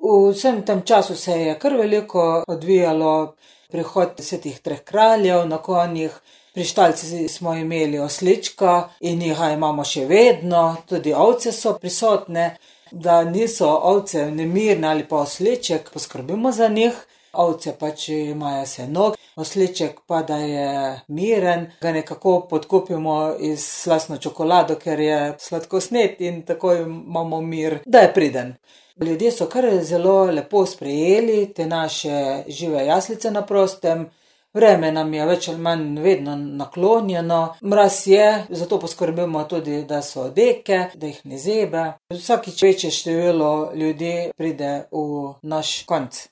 V vsem tem času se je kar veliko odvijalo, prihod svetih treh kraljev na konjih, pri štalci smo imeli oslička in jih imamo še vedno, tudi ovce so prisotne, da niso ovce nemirne ali pa osliček, poskrbimo za njih. Ovce pač imajo seno, osliček pa, da je miren, ga nekako podkupimo iz slastno čokolado, ker je sladkosned in tako imamo mir, da je priden. Ljudje so kar zelo lepo sprejeli te naše žive jaslice na prostem. Vreme nam je več ali manj vedno naklonjeno, mraz je, zato poskrbimo tudi, da so odeke, da jih ne zebe. Vsakič večje število ljudi pride v naš konec.